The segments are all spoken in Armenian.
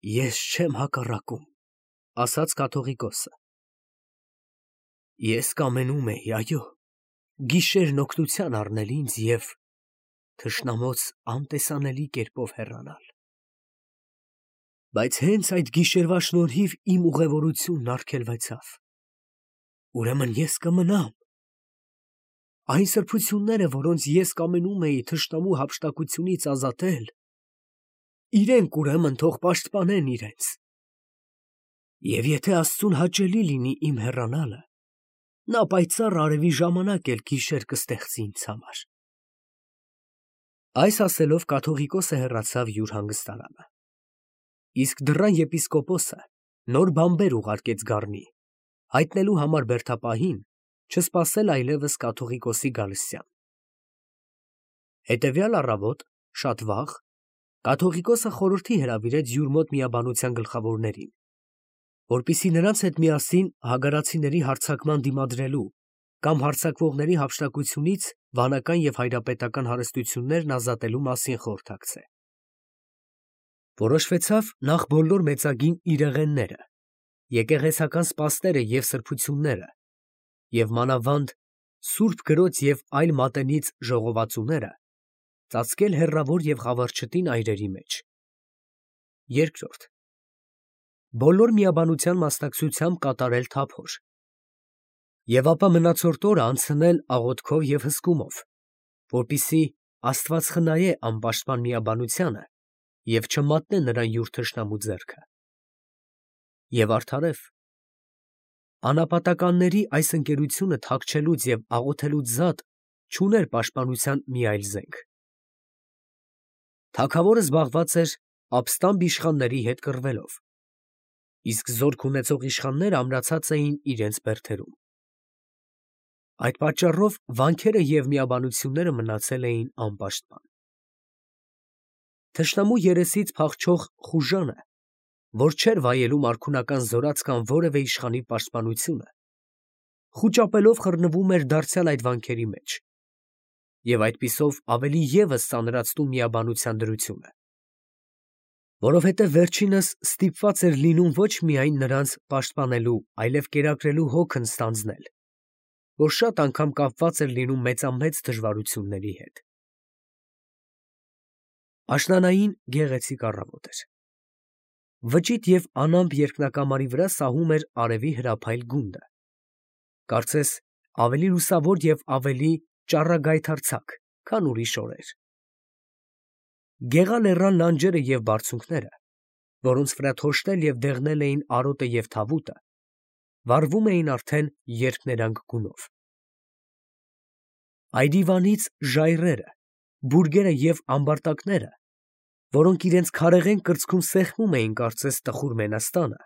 Ես չեմ հակառակում, ասաց կաթողիկոսը։ Ես կամենում էի, այո, գիշերն օգնության առնել ինձ և թշնամոց անտեսանելի կերպով հեռանալ։ Բայց հենց այդ գիշերվա շնորհիվ իմ ուղևորությունն արգելվեցավ։ Ուրեմն ես կմնամ։ Այն սրբությունները, որոնց ես կամենում էի թշնամու հափշտակությունից ազատել, իրենք ուրեմն թող պաշտպանեն իրենց։ Եվ եթե Աստծուն հաճելի լինի իմ հեռանալը, նա պայծառ արևի ժամանակ էլ գիշեր կստեղծի ինձ համար։ Այս ասելով կաթողիկոսը հեռացավ յուր հանգստարանը։ Իսկ դռան եպիսկոպոսը նոր բանբեր ուղարկեց գառնի, հայտնելու համար բերդապահին չսպասել այլևս կաթողիկոսի գալստյան։ Հետևյալ առավոտ, շատ վաղ, կաթողիկոսը խորհրդի հրավիրեց յուր մոտ միաբանության գլխավորներին, որպեսզի նրանց հետ միասին հագարացիների հարձակման դիմադրելու կամ հարձակվողների հափշտակությունից վանական և հայրապետական հարստություններն ազատելու մասին խորհրդակցե։ Որոշվեցավ նախ բոլոր մեծագին իրեղենները, եկեղեցական սպասները և սրբությունները և մանավանդ Սուրբ Գրոց և այլ մատենից ժողովածուները ծածկել հեռավոր և խավարչտին այրերի մեջ։ Երկրորդ, բոլոր միաբանության մասնակցությամբ կատարել թափոր և ապա մնացորդ օրը անցնել աղոթքով և հսկումով, որպեսզի Աստված խնայե անպաշտպան միաբանությանը և չմատնե նրան յուր թշնամու ձեռքը։ Եվ արդարև, անապատականների այս ընկերությունը թաքչելուց և աղոթելուց զատ չուներ պաշտպանության մի այլ զենք։ Թագավորը զբաղված էր ապստամբ իշխանների հետ կռվելով, իսկ զորք ունեցող իշխանները ամրացած էին իրենց բերդերում։ Այդ պատճառով վանքերը և միաբանությունները մնացել էին անպաշտպան։ Թշնամու երեսից փախչող խուժանը, որ չէր վայելում արքունական զորացք կամ որևէ իշխանի պաշտպանությունը, խուճապելով խռնվում էր դարձյալ այդ վանքերի մեջ և այդպիսով ավելի ևս ծանրացնում միաբանության դրությունը, որովհետև վերջինս ստիպված էր լինում ոչ միայն նրանց պաշտպանելու, այլև կերակրելու հոգն ստանձնել, որ շատ անգամ կապված էր լինում մեծամեծ դժվարությունների հետ։ Աշնանային գեղեցիկ առավոտ էր։ Վճիտ և անամպ երկնակամարի վրա սահում էր արևի հրափայլ գունդը, կարծես ավելի լուսավոր և ավելի ճառագայթարձակ, քան ուրիշ օրեր։ Գեղալեռան լանջերը և բարձունքները, որոնց վրա թոշտել և դեղնել էին արոտը և թավուտը, վառվում էին արդեն երկներանգ գունով։ Այրիվանից ժայռերը, բուրգերը և ամբարտակները, որոնք իրենց քարեղեն կրծքում սեղմում էին կարծես տխուր մենաստանը,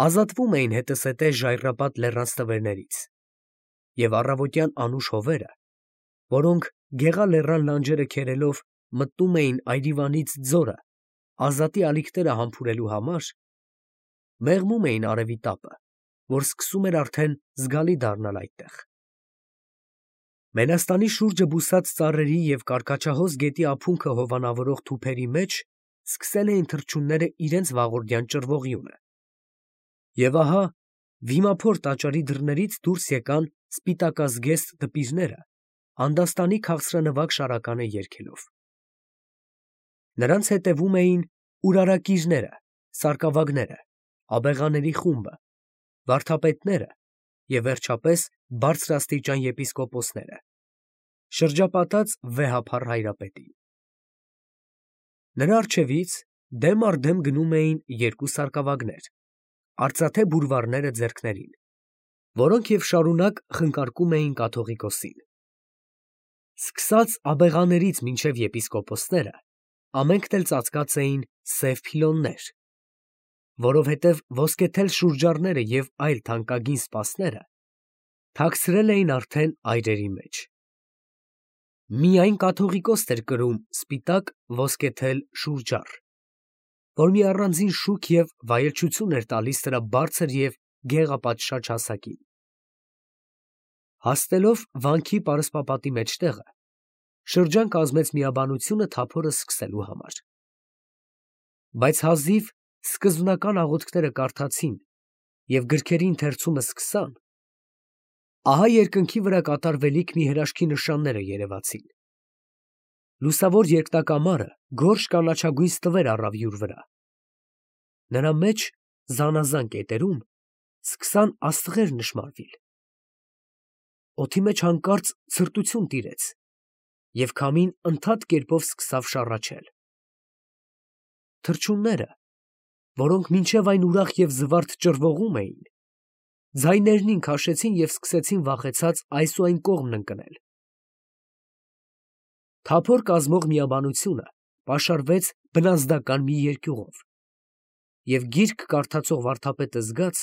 ազատվում էին հետզհետե ժայռապատ լեռան ստվերներից, և առավոտյան անուշ հովերը, որոնք գեղալեռան լանջերը քերելով մտնում էին այրիվանից ձորը ազատի ալիքները համբուրելու համար, մեղմում էին արևի տապը, որ սկսում էր արդեն զգալի դառնալ այդտեղ։ Մենաստանի շուրջը բուսած ծառերի և կարկաչահոս գետի ափունքը հովանավորող թուփերի մեջ սկսել էին թռչունները իրենց վաղորդյան ճռվողյունը։ Եվ ահա վիմափոր տաճարի դռներից դուրս եկան սպիտակազգեստ դպիրները անդաստանի քաղցրանվագ շարականը երգելով։ Նրանց հետևում էին ուրարակիրները, սարկավագները, աբեղաների խումբը, վարդապետները և վերջապես բարձրաստիճան եպիսկոպոսները, շրջապատած վեհափառ հայրապետին։ Նրա առջևից դեմ առ դեմ գնում էին երկու սարկավագներ, արծաթե բուրվառները ձեռքներին, որոնք և շարունակ խնկարկում էին կաթողիկոսին։ Սկսած աբեղաներից մինչև եպիսկոպոսները, ամենքն էլ ծածկած էին սև փիլոններ, որովհետև ոսկեթել շուրջառները և այլ թանկագին սպասները թաքցրել էին արդեն այրերի մեջ։ Միայն կաթողիկոսն էր կրում սպիտակ ոսկեթել շուրջառ, որ մի առանձին շուք և վայելչություն էր տալիս սրա բարձր և գեղապատշաճ հասակին։ Հասնելով վանքի պարսպապատի մեջտեղը, շրջան կազմեց միաբանությունը թափորը սկսելու համար։ Բայց հազիվ սկզբնական աղոթքները կարդացին և գրքերի ընթերցումը սկսան, ահա երկնքի վրա կատարվելիք մի հրաշքի նշանները երևացին. լուսավոր երկնակամարը գորշ կանաչագույն ստվեր առավ յուր վրա, նրա մեջ զանազան կետերում սկսան աստղեր նշմարվել, օդի մեջ հանկարծ ցրտություն տիրեց և քամին ընդհատ կերպով սկսավ շառաչել. թռչունները, որոնք մինչև այն ուրախ և զվարթ ճռվողում էին, ձայներնին քաշեցին և սկսեցին վախեցած այս ու այն կողմն ընկնել. թափոր կազմող միաբանությունը պաշարվեց բնազդական մի երկյուղով, և գիրք կարդացող վարդապետը զգաց,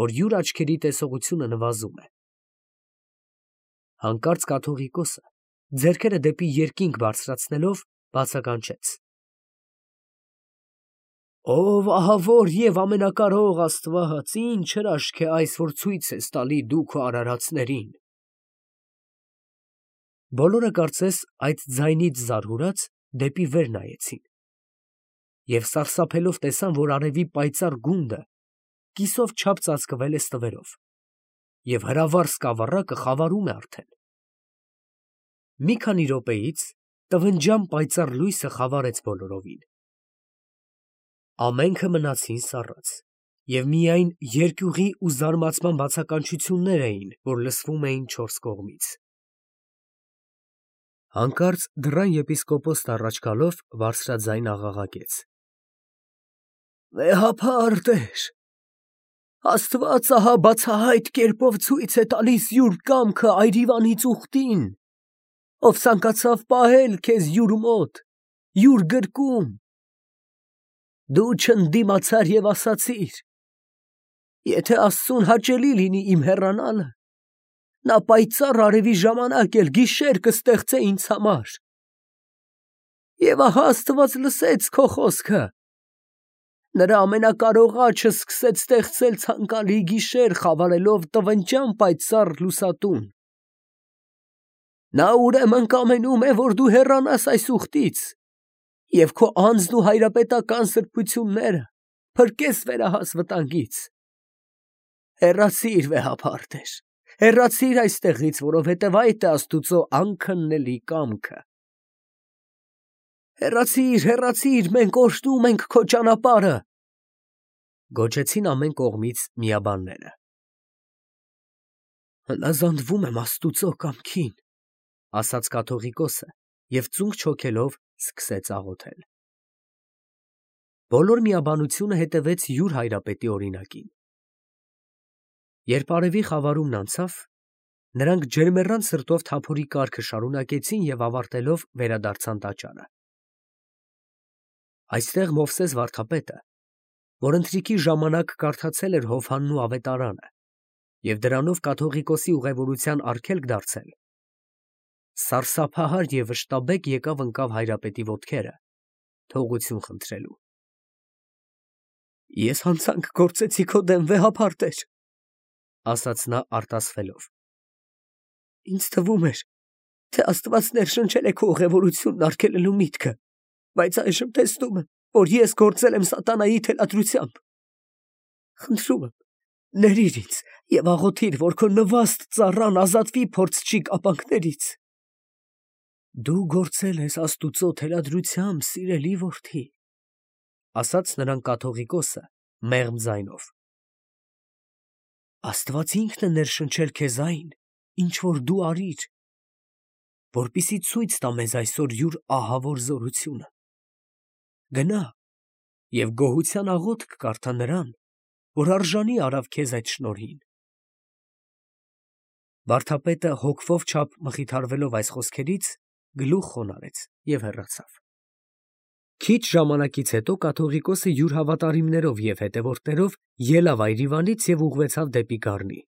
որ յուր աչքերի տեսողությունը նվազում է. հանկարծ կաթողիկոսը, ձեռքերը դեպի երկինք բարձրացնելով, բացականչեց. «Ով ահավոր և ամենակարող Աստված, ինչ հրաշք է այս, որ ցույց ես տալի դու քո արարածներին»։ Բոլորը կարծես այդ ձայնից զարհուրած դեպի վեր նայեցին և սարսափելով տեսան, որ արևի պայծառ գունդը կիսով չափ ծածկվել է ստվերով, և հրավառ սկավառակը խավարում է արդեն։ Մի քանի րոպեից տվնջան պայծառ լույսը խավարեց բոլորովին։ Ամենքը մնացին սառած, և միայն երկյուղի ու զարմացման բացականչություններ էին, որ լսվում էին չորս կողմից։ Հանկարծ դռան եպիսկոպոսն առաջ գալով բարձրաձայն աղաղակեց. «Վեհափառ Տեր, Աստված ահա բացահայտ կերպով ցույց է տալիս յուր կամքը այրիվանից ուխտին, ով ցանկացավ պահել քեզ յուր մոտ, յուր գրկում։ Դու չընդդիմացար և ասացիր. եթե Աստծուն հաճելի լինի իմ հեռանալը, նա պայծառ արևի ժամանակ էլ գիշեր կստեղծե ինձ համար։ Եվ ահա Աստված լսեց քո խոսքը. նրա ամենակարող աջը սկսեց ստեղծել ցանկալի գիշեր խավարելով տվնջան պայծառ լուսատուն։ Նա ուրեմն կամենում է, որ դու հեռանաս այս ուխտից և քո անձն ու հայրապետական սրբությունները փրկես վերահաս վտանգից։ Հեռացի՛ր, վեհափառ Տեր, հեռացի՛ր այստեղից, որովհետև այդ է Աստուծո անքննելի կամքը։ Հեռացի՛ր, հեռացի՛ր, մենք օրհնում ենք քո ճանապարհը, գոչեցին ամեն կողմից միաբանները։ Հնազանդվում եմ Աստուծո կամքին, ասաց կաթողիկոսը և ծունկ չոքելով սկսեց աղոթել։ Բոլոր միաբանությունը հետևեց յուր հայրապետի օրինակին։ Երբ արևի խավարումն անցավ, նրանք ջերմեռան սրտով թափորի կարգը շարունակեցին և ավարտելով վերադարձան տաճարը։ Այստեղ Մովսես վարդապետը, որ ընթրիքի ժամանակ կարդացել էր Հովհաննու ավետարանը և դրանով կաթողիկոսի ուղևորության արգելք դարձել, սարսափահար և վշտաբեկ եկավ ընկավ հայրապետի ոտքերը, թողություն խնդրելու։ Ես հանցանք գործեցի քո դեմ, վեհափառ Տեր, ասաց նա արտասվելով։ Ինձ թվում էր, թե Աստված ներշնչել է քո ուղևորությունն արգելելու միտքը, բայց այժմ տեսնում եմ, որ ես գործել եմ սատանայի թելադրությամբ։ Խնդրում եմ, ներիր ինձ և աղոթիր, որ քո նվաստ ծառան ազատվի փորձչի կապանքներից։ Դու գործել ես Աստուծո թելադրությամբ, սիրելի որդի, ասաց նրան կաթողիկոսը մեղմ ձայնով։ Աստված ինքն է ներշնչել քեզ այն, ինչ որ դու արիր, որպեսզի ցույց տա մեզ այսօր յուր ահավոր զորությունը։ Գնա և գոհության աղոթք կարդա նրան, որ արժանի արավ քեզ այդ շնորհին։ Վարդապետը հոգվով չափ մխիթարվելով այս խոսքերից, գլուխ խոնարհեց և հեռացավ։ Քիչ ժամանակից հետո կաթողիկոսը յուր հավատարիմներով և հետևորդներով ելավ այրիվանից և ուղղվեցավ դեպի Գառնի։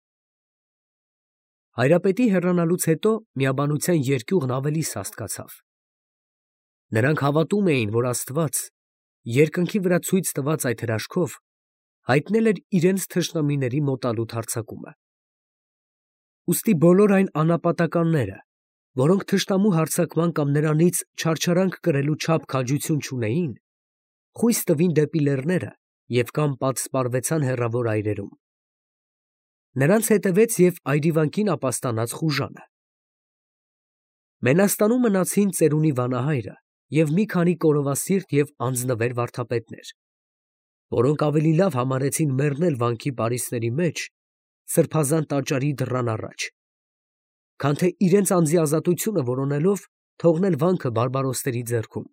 Հայրապետի հեռանալուց հետո միաբանության երկյուղն ավելի սաստկացավ։ Նրանք հավատում էին, որ Աստված երկնքի վրա ցույց տված այդ հրաշքով հայտնել էր իրենց թշնամիների մոտալուտ հարձակումը։ Ուստի բոլոր այն անապատականները, որոնք թշնամու հարձակման կամ նրանից չարչարանք կրելու չափ քաջություն չունեին, խույս տվին դեպի լեռները և կամ պատսպարվեցան հեռավոր այրերում։ Նրանց հետևեց և այրիվանքին ապաստանած խուժանը։ Մենաստանում մնացին ծերունի վանահայրը և մի քանի կորովասիրտ և անձնվեր վարդապետներ, որոնք ավելի լավ համարեցին մեռնել վանքի պարիսպների մեջ, սրբազան տաճարի դռան առաջ, քան թե իրենց անձի ազատությունը որոնելով թողնել վանքը բարբարոսների ձեռքում։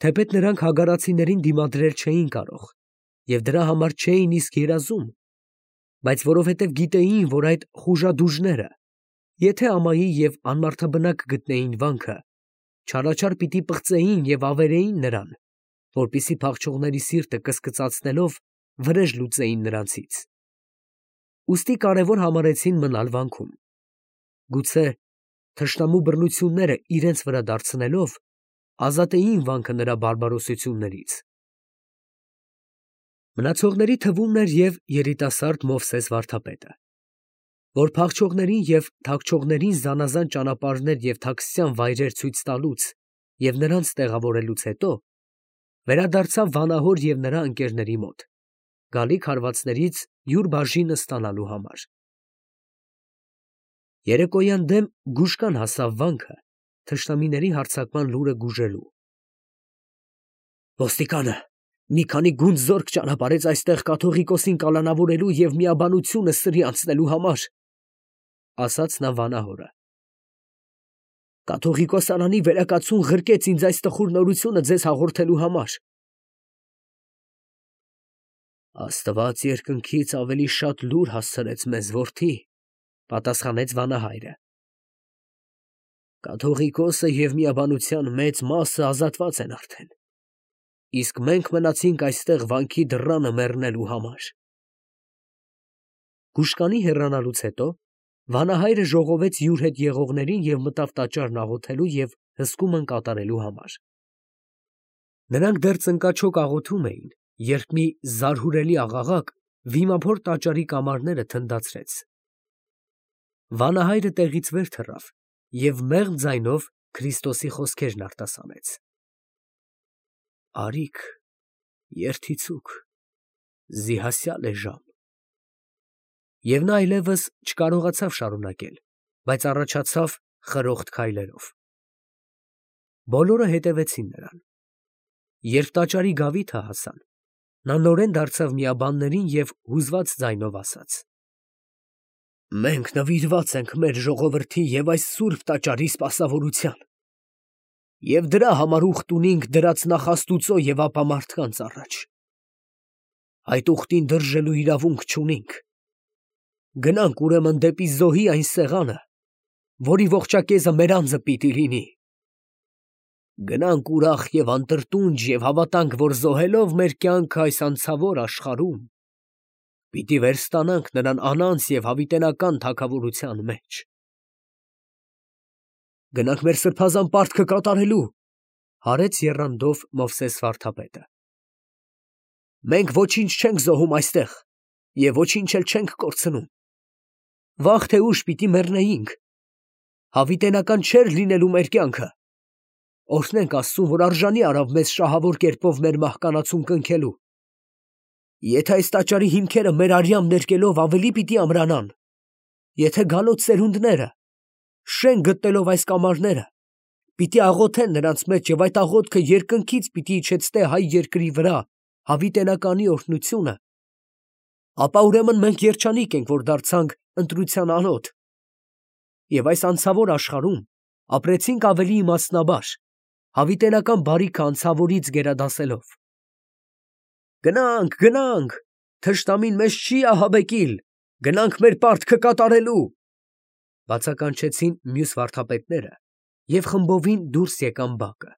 Թեպետ նրանք հագարացիներին դիմադրել չէին կարող և դրա համար չէին իսկ երազում, բայց որովհետև գիտեին, որ այդ խուժադուժները, եթե ամայի և անմարդաբնակ գտնեին վանքը, չարաչար պիտի պղծեին և ավերեին նրան, որպեսզի փախչողների սիրտը կսկծացնելով վրեժ լուծեին նրանցից։ Ուստի կարևոր համարեցին մնալ վանքում, գուցե թշնամու բռնությունները իրենց վրա դարձնելով ազատեին վանքը նրա բարբարոսություններից։ Մնացողների թվում էր և երիտասարդ Մովսես վարդապետը, որ փախչողներին և թաքչողներին զանազան ճանապարհներ և թաքցյան վայրեր ցույց տալուց և նրանց տեղավորելուց հետո, վերադարձավ վանահոր և նրա ընկերների մոտ, գալիք հարվածներից յուր բաժինը ստանալու համար։ Երեկոյան դեմ գուշկան հասավ վանքը թշնամիների հարձակման լուրը գուժելու։ «Ոստիկանը մի քանի գունդ զորք ճանապարհեց այստեղ կաթողիկոսին կալանավորելու և միաբանությունը սրի անցնելու համար», ֊ ասաց նա վանահորը։ «Կաթողիկոս Արանի վերակացուն ղրկեց ինձ այս տխուր նորությունը ձեզ հաղորդելու համար»։ «Աստված երկնքից ավելի շատ լուր հասցրեց մեզ, որդի», ֊ պատասխանեց վանահայրը։ «Կաթողիկոսը և միաբանության մեծ մասը ազատված են արդեն, իսկ մենք մնացինք այստեղ վանքի դռանը մեռնելու համար»։ Գուշկանի հեռանալուց հետո վանահայրը ժողովեց յուր հետ եղողներին և մտավ տաճարն աղոթելու և հսկումն կատարելու համար։ Նրանք դեռ ծնկաչոք աղոթում էին, երբ մի զարհուրելի աղաղակ վիմափոր տաճարի կամարները թնդացրեց։ Վանահայրը տեղից վեր թռավ և մեղմ ձայնով Քրիստոսի խոսքերն արտասանեց. «Արի՛ք, երդիցուք, զիհասյալ է ժամ»։ Եվ նա այլևս չկարողացավ շարունակել, բայց առաջացավ խրոխտ քայլերով։ Բոլորը հետևեցին նրան։ Երբ տաճարի գավիթը հասան, նա նորեն դարձավ միաբաններին և հուզված ձայնով ասաց. «Մենք նվիրված ենք մեր ժողովրդի և այս սուրբ տաճարի սպասավորության, և դրա համար ուխտ ունենք դրած նախաստուծո և ապա մարդկանց առաջ։ Այդ ուխտին դրժելու իրավունք չունենք։ Գնանք ուրեմն դեպի զոհի այն սեղանը, որի ողջակեզը մեր անձը պիտի լինի։ Գնանք ուրախ և անտրտունջ և հավատանք, որ զոհելով մեր կյանքը այս անցավոր աշխարհում, պիտի վերստանանք նրան անանց և հավիտենական թագավորության մեջ։ Գնանք մեր սրբազան պարտքը կատարելու, ֊ հարեց եռանդով Մովսես վարդապետը։ Մենք ոչինչ չենք զոհում այստեղ և ոչինչ էլ չենք կորցնում։ Վաղ թե ուշ պիտի մեռնեինք, հավիտենական չէր լինելու մեր կյանքը։ Օրհնենք Աստծուն, որ արժանի արավ մեզ շահավոր կերպով մեր մահկանացուն կնքելու։ Եթե այս տաճարի հիմքերը մեր արյամբ ներկելով ավելի պիտի ամրանան, եթե գալոց սերունդները, շենք գտնելով այս կամարները, պիտի աղոթեն նրանց մեջ և այդ աղոթքը երկնքից պիտի իջեցնե հայ երկրի վրա հավիտենականի օրհնությունը, ապա ուրեմն մենք երջանիկ ենք, որ դարձանք ընտրության անոթ և այս անցավոր աշխարհում ապրեցինք ավելի իմաստնաբար, հավիտենական բարիքը անցավորից գերադասելով։ Գնանք, գնանք, թշնամին մեզ չի ահաբեկիլ, գնանք մեր պարտքը կատարելու, ֊ բացականչեցին մյուս վարդապետները և խմբովին դուրս եկան բակը։